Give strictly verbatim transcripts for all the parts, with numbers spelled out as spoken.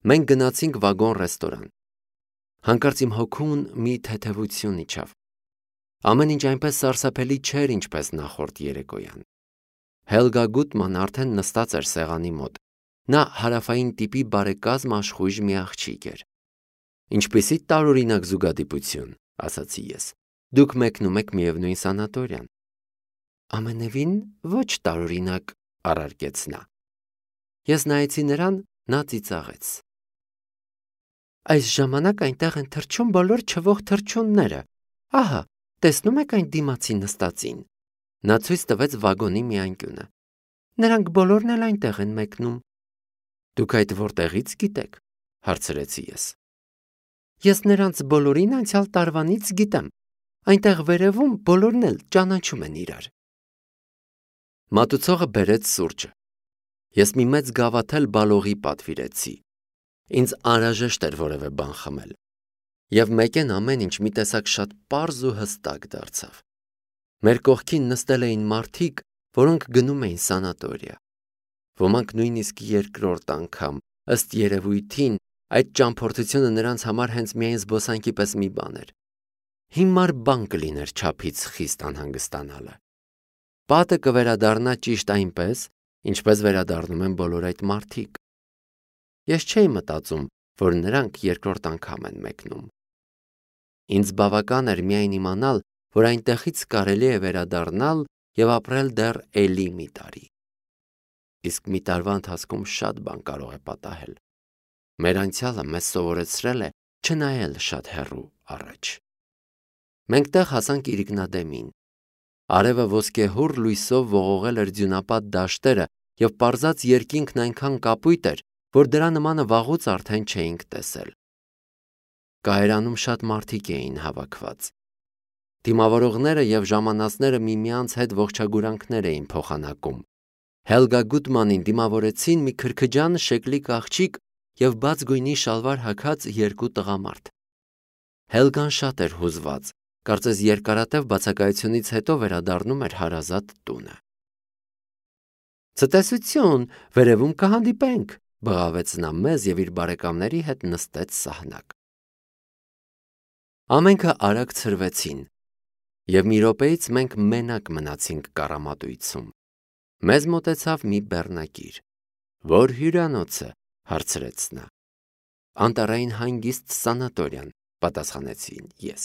Մենք գնացինք վագոն ռեստորան։ Հանկարծ իմ հոգուն մի թեթևություն իջավ։ Ամեն ինչ այնպես սարսափելի չէր, ինչպես նախորդ երեկոյան։ Հելգա Գուտման արդեն նստած էր սեղանի մոտ։ Նա հարավային տիպի բարեկազմ աշխույժ մի աղջիկ էր։ Ինչպիսի տարօրինակ զուգադիպություն, ասացի ես։ Դուք մեկնում եք միևնույն սանատորիան։ Ամենևին ոչ տարօրինակ, առարկեց նա։ Ես նայեցի նրան, նա ծիծաղեց։ Այս ժամանակ այնտեղ են թռչում բոլոր չվող թռչունները։ Ահա, տեսնում եք այն դիմացի նստածին։ Նա ցույց տվեց վագոնի մի անկյունը։ Նրանք բոլորն էլ այնտեղ են մեկնում։ Դուք այդ որտեղից գիտեք, հարցրեցի ես։ Ես նրանց բոլորին անցյալ տարվանից գիտեմ։ Այնտեղ վերևում բոլորն էլ ճանաչում են իրար։ Մատուցողը բերեց սուրճը։ Ես մի մեծ գավաթել բալողի պատվիրեցի։ Ինձ անհրաժեշտ էր որևէ բան խմել։ Եվ մեկեն ամեն ինչ մի տեսակ շատ պարզ ու հստակ դարձավ։ Մեր կողքին նստել էին մարդիկ, որոնք գնում էին սանատորիա։ Ոմանք նույնիսկ երկրորդ անգամ, ըստ երևույթին, այդ ճամփորդությունը նրանց համար հենց միայն զբոսանքի պես մի բան էր։ Հիմար բան կլիներ չափից խիստ անհանգստանալը։ Պատը կվերադառնա ճիշտ այնպես, ինչպես վերադառնում են բոլոր այդ մարդիկ։ Ես չէի մտածում, որ նրանք երկրորդ անգամ են մեկնում։ Ինձ բավական էր միայն իմանալ, որ այնտեղից կարելի է վերադառնալ եւ ապրել դեռ էլի մի տարի։ Իսկ մի տարվա ընթացքում շատ բան կարող է պատահել։ Մեր անցյալը մեզ սովորեցրել է չնայել շատ հեռու առաջ։ Մենք տեղ հասանք Իրիկնադեմին։ Արևը ոսկեհուռ լույսով ողողել էր ձյունապատ դաշտերը եւ պարզած երկինքն այնքան կապույտ էր, որ դրա նմանը վաղուց արդեն չէինք տեսել։ Կայարանում շատ մարդիկ էին հավաքված։ Դիմավորողները եւ ժամանածները միմյանց հետ ողջագուրանքներ էին փոխանակում։ Հելգա Գուտմանին դիմավորեցին մի քրքջան շեկլիկ աղջիկ եւ բաց գույնի շալվար հագած երկու տղամարդ։ Հելգան շատ էր հուզված, կարծես երկարատև բացակայությունից հետո վերադառնում էր հարազատ տունը։ Ցտեսություն, վերևում կհանդիպենք, բղավեց նա մեզ եւ իր բարեկամների հետ նստեց սահնակ։ Ամենքը արագ ցրվեցին, եւ մի րոպեից մենք մենակ մնացինք կառամատույցում։ Մեզ մոտեցավ մի բեռնակիր։ Որ հյուրանոցը, հարցրեց նա։ Անտառային հանգիստ սանատորիան, պատասխանեցի ես։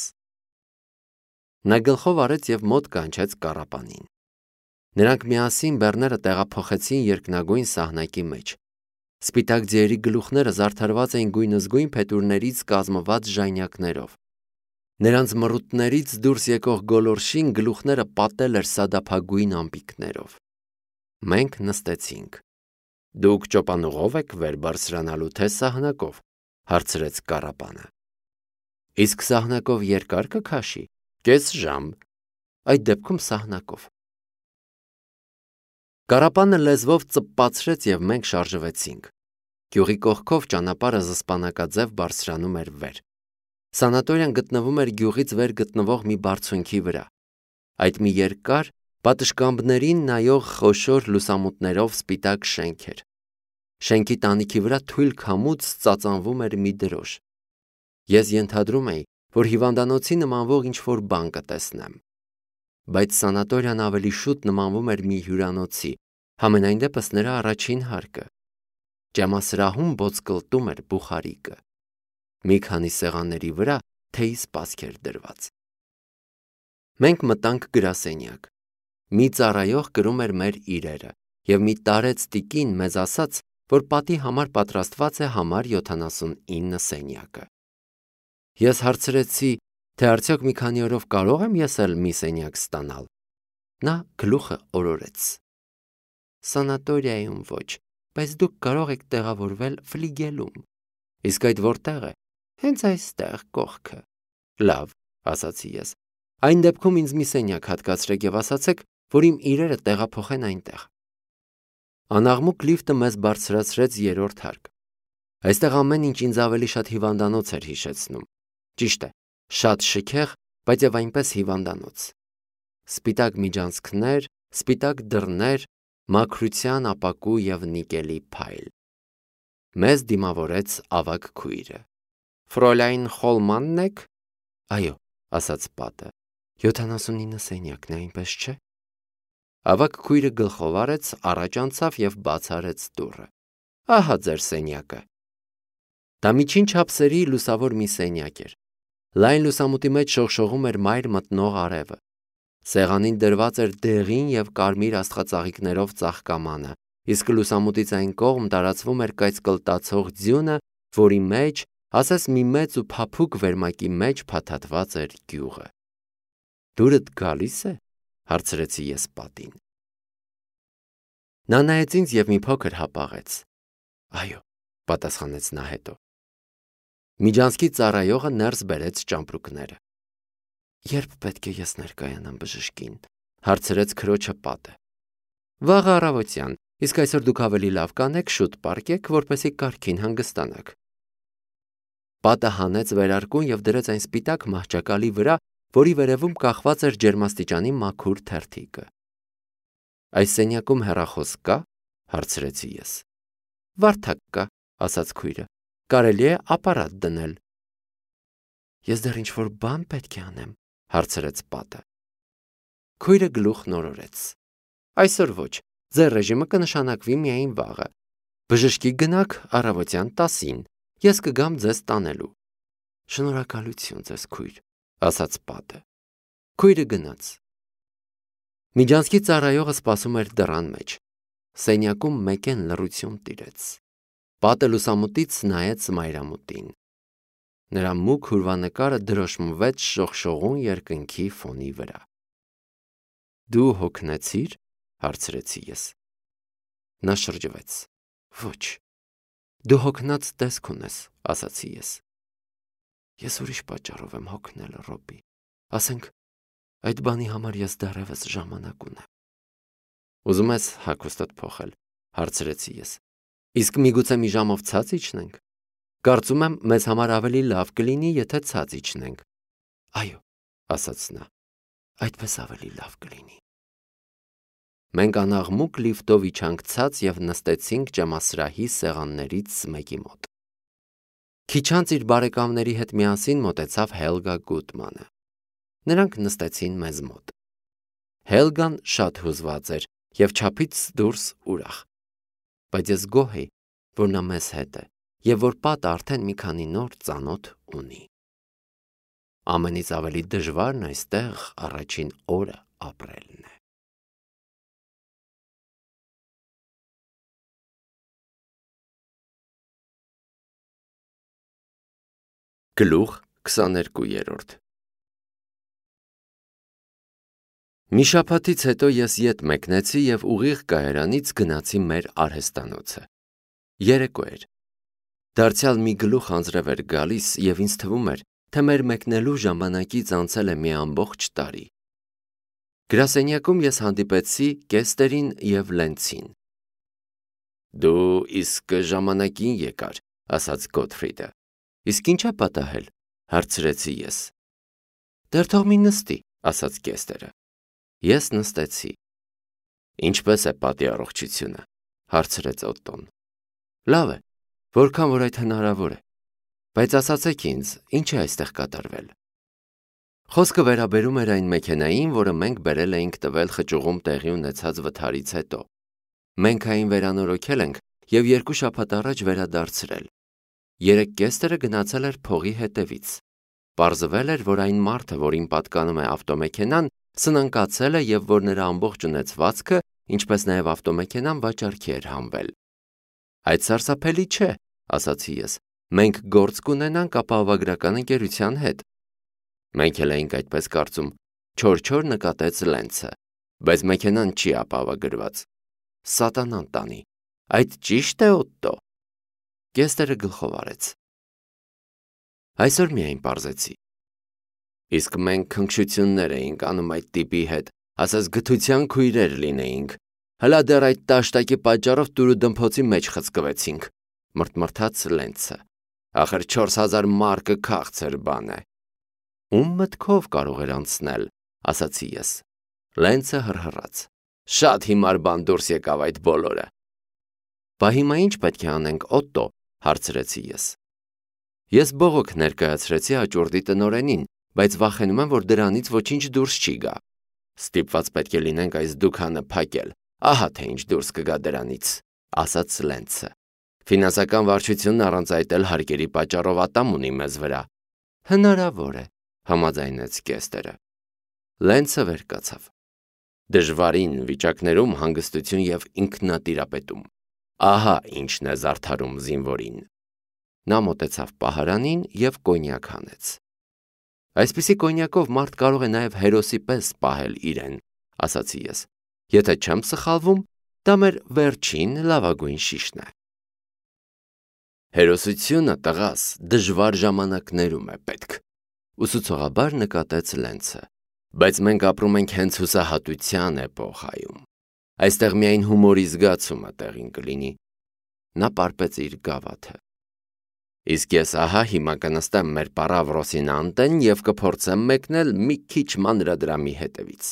Նա գլխով արեց եւ մոտ կանչեց կառապանին։ Նրանք միասին բեռները տեղափոխեցին երկնագույն սահնակի մեջ։ Սպիտակ ձիերի գլուխները զարդարված էին գույնզգույն փետուրներից կազմված ժայնյակներով։ Նրանց մռութներից դուրս եկող գոլորշին գլուխները պատել էր սադափագույն ամպիկներով։ Մենք նստեցինք։ Դուք ճոպանուղով եք վեր բարձրանալու թե սահնակով, հարցրեց կառապանը։ Իսկ սահնակով երկար կքաշի, կես ժամ, այդ դեպքում սահնակով։ Կառապանը լեզվով ծպպացրեց եւ մենք շարժվեցինք։ Գյուղի կողքով ճանապարհը զսպանակաձև բարձրանում էր վեր։ Սանատորիան գտնվում էր գյուղից վեր գտնվող մի բարձունքի վրա։ Այդ մի երկար, պատշգամբներին նայող խոշոր լուսամուտներով սպիտակ շենք էր։ Շենքի տանիքի վրա թույլ քամուց ծածանվում էր մի դրոշ։ Ես ենթադրում էի, որ հիվանդանոցի նմանվող ինչ-որ բան կտեսնեմ։ Բայց սանատորիան ավելի շուտ նմանվում էր մի հյուրանոցի, համենայն դեպս նրա առաջին հարկը։ Ջամասրահում ոսկլտում էր բուխարիկը։ Մի քանի սեղանների վրա թեյի սպասք էր դրված։ Մենք մտանք գրասենյակ։ Մի ծառայող կրում էր մեր իրերը, եւ մի տարեց տիկին մեզ ասաց, որ պատի համար պատրաստված է համար յոթանասունինը սենյակը։ Ես հարցրեցի, թե արդյոք մի քանի օրով կարող եմ ես էլ մի սենյակ ստանալ։ Նա գլուխը օրորեց։ Սանատորիայում ոչ, բայց դուք կարող եք տեղավորվել ֆլիգելում։ Իսկ այդ որտեղ է։ Հենց այստեղ կողքը։ Լավ, ասացի ես։ Այն դեպքում ինձ մի սենյակ հատկացրեք եւ ասացեք, որ իմ իրերը տեղափոխեն այնտեղ։ Անաղմուկ լիֆտը մեզ բարձրացրեց երրորդ հարկ։ Այստեղ ամեն ինչ ինձ ավելի շատ հիվանդանոց էր հիշեցնում։ Ճիշտ է, շատ շքեղ, բայց եւ այնպես հիվանդանոց։ Սպիտակ միջանցքներ, սպիտակ դռներ, մաքրության ապակու եւ նիկելի փայլ։ Մեզ դիմավորեց ավագ քույրը։ Ֆրոլայն Խոլմանն եք։ Այո, ասաց պատը։ յոթանասունինը սենյակն է, այնպես չէ։ Ավագ քույրը գլխով արեց, առաջ անցավ եւ բաց արեց դուռը։ Ահա ձեր սենյակը։ Դա միջին չափսերի լուսավոր մի սենյակ էր։ Լայն լուսամուտի մեջ շողշողում էր մայր մտնող արևը։ Սեղանին դրված էր դեղին եւ կարմիր աստղածաղիկներով ծաղկամանը, իսկ լուսամուտից այն կողմ տարածվում էր կայծկլտացող ձյունը, որի մեջ, ասես մի մեծ ու փափուկ վերմակի մեջ փաթաթված էր գյուղը։ Դուրդ գալի՞ս է, հարցրեցի ես պատին։ Նա նայեց ինձ եւ մի փոքր հապաղեց։ Այո, պատասխանեց նա հետո։ Միջանցքի ծառայողը ներս բերեց ճամպրուկները։ Երբ պետք է ես ներկայանամ բժշկին, հարցրեց քրոջը պատը։ Վաղ առավոտյան, իսկ այսօր դուք ավելի լավ կանեք շուտ պարկեք, որպեսզի կարգին հանգստանաք։ Պատը հանեց վերարկուն եւ դրեց այն սպիտակ մահճակալի վրա, որի վերևում կախված էր ջերմաստիճանի մաքուր թերթիկը։ Այս սենյակում հեռախոս կա, հարցրեցի ես։ Վարդակ կա, ասաց քույրը։ Կարելի է ապարատ դնել։ Ես դեռ ինչ-որ բան պետք է անեմ, հարցրեց պատը։ Քույրը գլուխ նորորեց։ Այսօր ոչ, ձեր ռեժիմը կնշանակվի միայն վաղը։ Բժշկի գնաք առավոտյան տասին, ես կգամ ձեզ տանելու։ Շնորհակալություն ձեզ քույր, ասաց պատը։ Քույրը գնաց։ Միջանցքի ծառայողը սպասում էր դռան մեջ։ Սենյակում մեկեն լռություն տիրեց։ Պատը լուսամուտից նայեց մայրամուտին։ Նրա մուգ հուրվանկարը դրոշմվեց շողշողուն երկնքի ֆոնի վրա։ Դու հոգնեցիր, հարցրեցի ես։ Նա շրջվեց։ Ոչ։ Դու հոգնած տեսք ունես, ասացի ես։ Ես ուրիշ պատճառով եմ հոգնել, Ռոբի։ Ասենք, այդ բանի համար ես դեռևս ժամանակ ունեմ։ Ուզում ես հագուստդ փոխել, հարցրեցի ես։ Իսկ միգուցե մի ժամով ցած իջնենք։ Կարծում եմ, մեզ համար ավելի լավ կլինի, եթե ցած իջնենք։ Այո, ասաց նա։ Այդպես ավելի լավ կլինի։ Մենք անաղմուկ լիֆտով իջանք ցած եւ նստեցինք ջամասրահի սեղաններից մեկի մոտ։ Քիչ անց իր բարեկամների հետ միասին մոտեցավ Հելգա Գուտմանը։ Նրանք նստեցին մեզ մոտ։ Հելգան շատ հուզված էր եւ չափից դուրս ուրախ։ Բայց ես գոհ էի, որ նա մեզ հետ է եւ որ պատը արդեն մի քանի նոր ծանոթ ունի։ Ամենից ավելի դժվարն այստեղ առաջին օրը ապրելն է։ Գլուխ քսաներկուերորդ Մի շաբաթից հետո ես ետ մեկնեցի եւ ուղիղ կայարանից գնացի մեր արհեստանոցը։ Երեկո էր։ Դարձյալ մի գլուխ անձրև էր գալիս եւ ինձ թվում էր, թե մեր մեկնելու ժամանակից անցել է մի ամբողջ տարի։ Գրասենյակում ես հանդիպեցի Կեստերին եւ Լենցին։ Դու իսկ ժամանակին եկար, ասաց Գոթֆրիդը։ Իսկ ինչա պատահել, հարցրեցի ես։ Դեռ թող մի նստի, ասաց Կեստերը։ Ես նստեցի։ Ինչպես է պատի առողջությունը, հարցրեց Օտտոն։ Լավ է, որքան որ այդ հնարավոր է։ Բայց ասացեք ինձ, ինչ է այստեղ կատարվել։ Խոսքը վերաբերում էր այն մեքենային, որը մենք բերել էինք տվել խճուղում տեղի ունեցած վթարից հետո։ Մենք այն վերանորոգել ենք եւ երկու շաբաթ առաջ վերադարձրել։ Երեք Կեստերը գնացել էր փողի հետևից։ Պարզվել էր, որ այն մարդը, որին պատկանում է ավտոմեքենան, սնանկացել է եւ որ նրա ամբողջ ունեցվածքը, ինչպես նաեւ ավտոմեքենան վաճառքի էր հանվել։ Այդ սարսափելի չէ, ասացի ես։ Մենք գործ կունենանք ապահովագրական ընկերության հետ։ Մենք էլ էինք այդպես կարծում, չոր-չոր նկատեց Լենցը, բայց մեքենան չի ապահովագրված։ Սատանան տանի։ Այդ ճիշտ է, Օտտո։ Կեստերը գլխով արեց։ Այսօր միայն պարզեցի։ Իսկ մենք քնքշություններ էինք անում այդ տիպի հետ, ասես գթության քույրեր լինեինք։ Հլա դեռ այդ տաշտակի պատճառով տուրու դմփոցի մեջ խցկվեցինք, մրթմրթաց Լենցը։ Ախր չորս հազար մարկը քաղցր բան է։ Ում մտքով կարող էր անցնել, ասացի ես։ Լենցը հռհռաց։ Շատ հիմար բան դուրս եկավ այդ բոլորը։ Բա հիմա ինչ պետք է անենք, Օտտո, հարցրեցի ես։ Ես բողոք ներկայացրեցի հաճորդի տնօրենին, բայց վախենում եմ, որ դրանից ոչինչ դուրս չի գա։ Ստիպված պետք է լինենք այս դուքանը փակել, ահա թե ինչ դուրս կգա դրանից, ասաց Լենցը։ Ֆինանսական վարչությունն առանց այդ էլ հարկերի պատճառով ատամ ունի մեզ վրա։ Հնարավոր է, համաձայնեց Կեստերը։ Լենցը վեր կացավ։ Դժվարին վիճակներում հանգստություն եւ ինքնատիրապետում։ Ահա ինչն է զարդարում զինվորին։ Նա մոտեցավ պահարանին եւ կոնյակ հանեց։ Այսպիսի կոնյակով մարդ կարող է նաև հերոսի պես պահել իրեն, ասացի ես։ Եթե չեմ սխալվում, դա մեր վերջին լավագույն շիշն է։ Հերոսությունը, տղաս, դժվար ժամանակներում է պետք, ուսուցողաբար նկատեց Լենցը, բայց մենք ապրում ենք հենց հուսահատության էպոխայում։ Այստեղ միայն հումորի զգացումը տեղին կլինի։ Նա պարպեց իր գավաթը։ Իսկ ես ահա հիմա կնստեմ մեր պարավրոսին անտեն և կփորձեմ մեկնել մի քիչ մանրադրամի հետևից։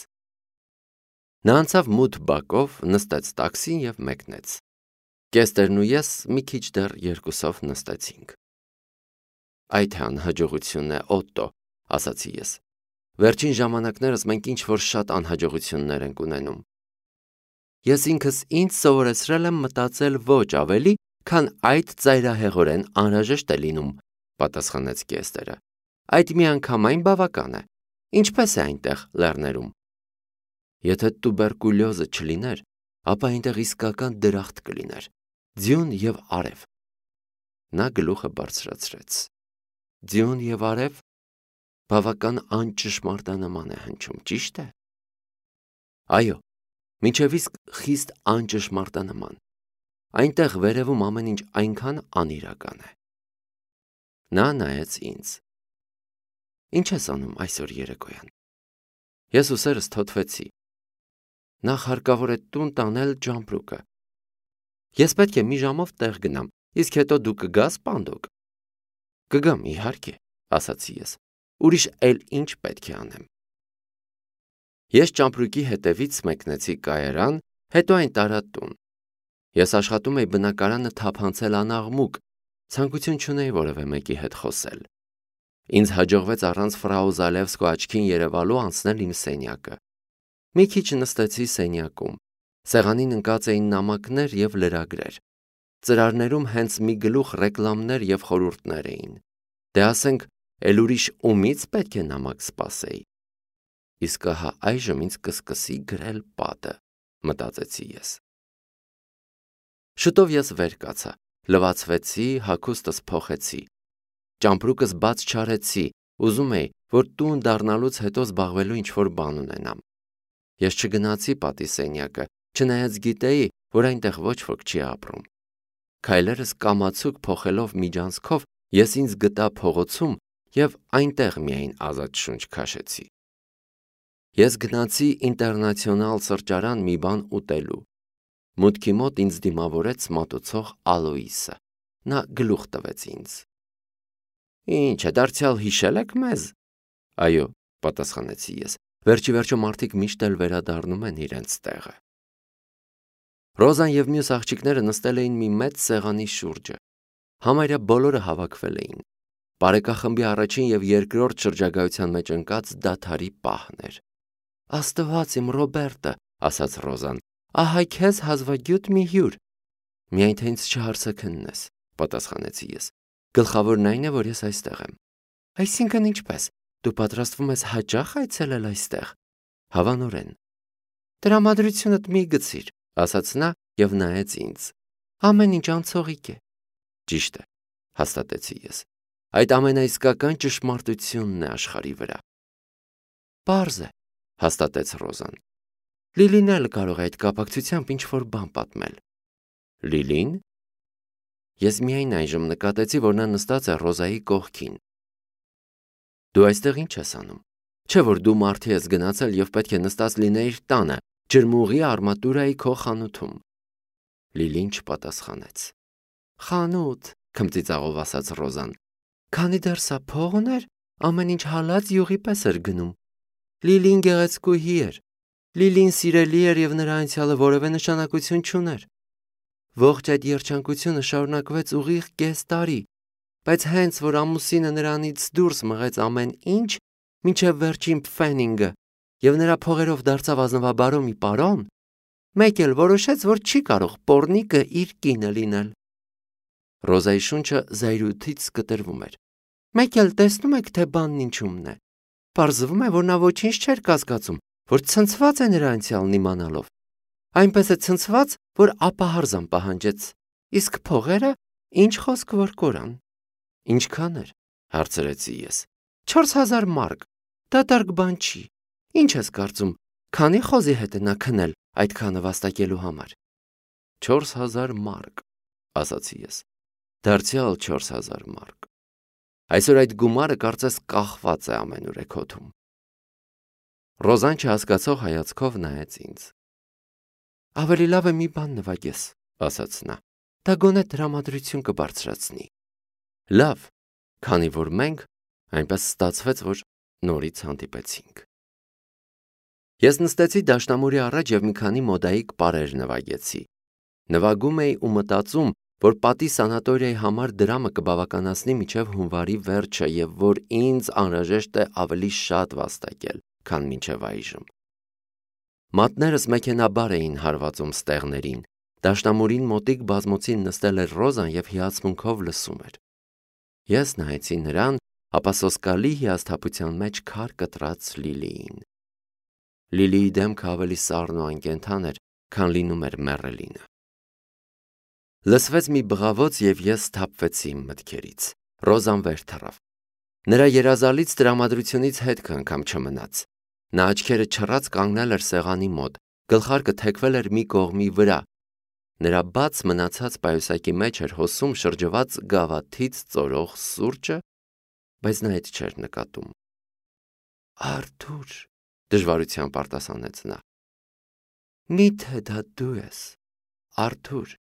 Նա անցավ մութ բակով, նստեց տաքսին և մեկնեց։ Կեստերն ու ես մի քիչ դեռ երկուսով նստեցինք։ Այդ է անհաջողությունն է, Օտտո, ասացի ես։ Վերջին ժամանակներս մենք ինչ-որ շատ անհաջողություններ ենք ունենում։ Ես ինքս ինձ սովորեցրել եմ մտածել ոչ ավելի, քան այդ ծայրահեղորեն անհրաժեշտ է լինում, պատասխանեց Կեստերը։ Այդ միանգամայն բավական է։ Ինչպես է այնտեղ լեռներում։ Եթե տուբերկուլյոզը չլիներ, ապա այնտեղ իսկական դրախտ կլիներ, ձյուն և արև։ Նա գլուխը բարձրացրեց։ Ձյուն և արև բավական անճշմարտանման է հնչում, ճիշտ է։ Այո, մինչև իսկ խիստ անճշմարտանման։ Այնտեղ վերևում ամեն ինչ այնքան անիրական է։ Նա նայեց ինձ։ Ինչ ես անում այսօր երեկոյան։ Ես ուսերս թոթվեցի։ Նախ հարկավոր է տուն տանել Ջամպրուկը։ Ես պետք է մի ժամով տեղ գնամ, իսկ հետո դու կգաս Պանդոկ։ Կգամ, իհարկե, ասացի ես։ Ուրիշ էլ ինչ պետք է անեմ։ Ես Ջամպրուկի հետևից մեկնեցի կայարան, հետո այն տարա տուն։ Ես աշխատում էի բնակարանը թափանցել անաղմուկ, ցանկություն չունեի որևէ մեկի հետ խոսել։ Ինձ հաջողվեց առանց ֆրաու Զալևսկու աչքին երևալու անցնել իմ սենյակը։ Մի քիչ նստեցի սենյակում։ Սեղանին ընկած էին նամակներ և լրագրեր։ Ծրարներում հենց մի գլուխ ռեկլամներ և խորհուրդներ էին։ Դե ասենք, էլ ուրիշ ումից պետք է նամակ սպասեի։ Իսկ ահա այժմ ինձ կսկսի գրել պատը, մտածեցի ես։ Շուտով ես վեր կացա, լվացվեցի, հագուստս փոխեցի։ Ճամպրուկս բաց չարեցի, ուզում էի, որ տուն դառնալուց հետո զբաղվելու ինչ-որ բան ունենամ։ Ես չգնացի պատի սենյակը, չնայած գիտեի, որ այնտեղ ոչ ոք չի ապրում։ Քայլերս կամացուկ փոխելով միջանցքով ես ինձ գտա փողոցում և այնտեղ միայն ազատ շունչ քաշեցի։ Ես գնացի Ինտերնացիոնալ սրճարան մի բան ուտելու։ Մուտքի մոտ ինձ դիմավորեց մատուցող Ալոիսը։ Նա գլուխ տվեց ինձ։ Ինչ է, դարձյալ հիշել եք մեզ։ Այո, պատասխանեցի ես։ Վերջի վերջո մարդիկ միշտ էլ վերադառնում են իրենց տեղը։ Ռոզան և մյուս աղջիկները նստել էին մի մեծ սեղանի շուրջը։ Համարյա բոլորը հավաքվել էին։ Բարեկախմբի առաջին և երկրորդ շրջագայության մեջ ընկած դադարի պահն էր։ Աստված իմ Ռոբերտը, ասաց Ռոզան, ահա քեզ հազվագյուտ մի հյուր։ Միայն թե ինձ չհարցաքննես, պատասխանեցի ես։ Գլխավորն այն է, որ ես այստեղ եմ։ Այսինքն ինչպես, դու պատրաստվում ես հաճախ այցելել այստեղ։ Հավանորեն։ Տրամադրությունդ մի գցիր, ասաց նա և նայեց ինձ։ Ամեն ինչ անցողիկ է։ Ճիշտ է, հաստատեցի ես։ Այդ ամենաիսկական ճշմարտությունն է աշխարհի վրա։ Պարզ է, հաստատեց Ռոզան։ Լիլին էլ կարող է այդ կապակցությամբ ինչ-որ բան պատմել։ Լիլին։ Ես միայն այժմ նկատեցի, որ նա նստած է Ռոզայի կողքին։ Դու այստեղ ինչ ես անում։ Չէ՞ որ դու մարդի ես գնացել և պետք է նստած լինեիր տանը, ջրմուղի արմատուրայի քո խանութում։ Լիլին չպատասխանեց։ Խանութ, քմծիծաղով ասաց Ռոզան։ Քանի դեռ սա փող ուներ, ամեն ինչ հալած յուղի պես էր գնում։ Լիլին գեղեցկուհի էր։ Լիլին սիրելի էր և նրա անցյալը որևէ նշանակություն չուներ։ Ողջ այդ երջանկությունը շարունակվեց ուղիղ կես տարի, բայց հենց որ ամուսինը նրանից դուրս մղեց ամեն ինչ, մինչև վերջին փֆենինգը, եւ նրա փողերով դարձավ ազնվաբարո մի պարոն, մեկ էլ որոշեց, որ չի կարող պոռնիկը իր կինը լինել։ Ռոզայի շունչը զայրույթից կտրվում էր։ Մեկ էլ տեսնում եք, թե բանն ինչումն է։ Պարզվում է, որ նա ոչինչ չէր կասկածում, որ ցնցված է նրա անցյալն իմանալով։ Այնպես է ցնցված, որ ապահարզան պահանջեց։ Իսկ փողերը ինչ խոսք որ կորան։ Ինչքան էր, հարցրեցի ես։ Չորս հազար մարկ։ Դատարկ բան չի։ Ինչ ես կարծում, քանի խոզի հետ է նա քնել այդքանը վաստակելու համար։ Չորս հազար մարկ, ասացի ես։ Դարձյալ չորս հազար մարկ։ Այսօր այդ գումարը կարծես կախված է ամենուրեք հոթում։ Ռոզան չհասկացող հայացքով նայեց ինձ։ Ավելի լավ է մի բան նվագես, ասաց նա։ Դա գոնե տրամադրություն կբարձրացնի։ Լավ, քանի որ մենք այնպես ստացվեց, որ նորից հանդիպեցինք։ Ես նստեցի դաշնամուրի առաջ եւ մի քանի մոդայիկ պարեր նվագեցի։ Նվագում էի ու մտածում, որ պատի սանատորիայի համար դրամը կբավականացնի մինչև հունվարի վերջը եւ որ ինձ անհրաժեշտ է ավելի շատ վաստակել, քան մինչև այժմ։ Մատներս մեքենաբար էին հարվածում ստեղներին, դաշնամուրին մոտիկ բազմոցին նստել էր Ռոզան եւ հիացմունքով լսում էր։ Ես նայեցի նրան, ապա սոսկալի հիասթափության մեջ քար կտրած Լիլիին։ Լիլիի դեմքը ավելի սառն ու անկենդան էր, քան լինում էր մեռելինը։ Լսվեց մի բղավոց եւ ես սթափվեցի իմ մտքերից։ Ռոզան վեր թռավ։ Նրա երազալից տրամադրությունից հետք անգամ չմնաց։ Նա աչքերը չռած կանգնել էր սեղանի մոտ, գլխարկը թեքվել էր մի կողմի վրա։ Նրա բաց մնացած պայուսակի մեջ էր հոսում շրջված գավաթից ծորող սուրճը, բայց նա այդ չէր նկատում։ Արթուր, դժվարությամբ արտասանեց նա։ Միթե դա դու ես, Արթուր։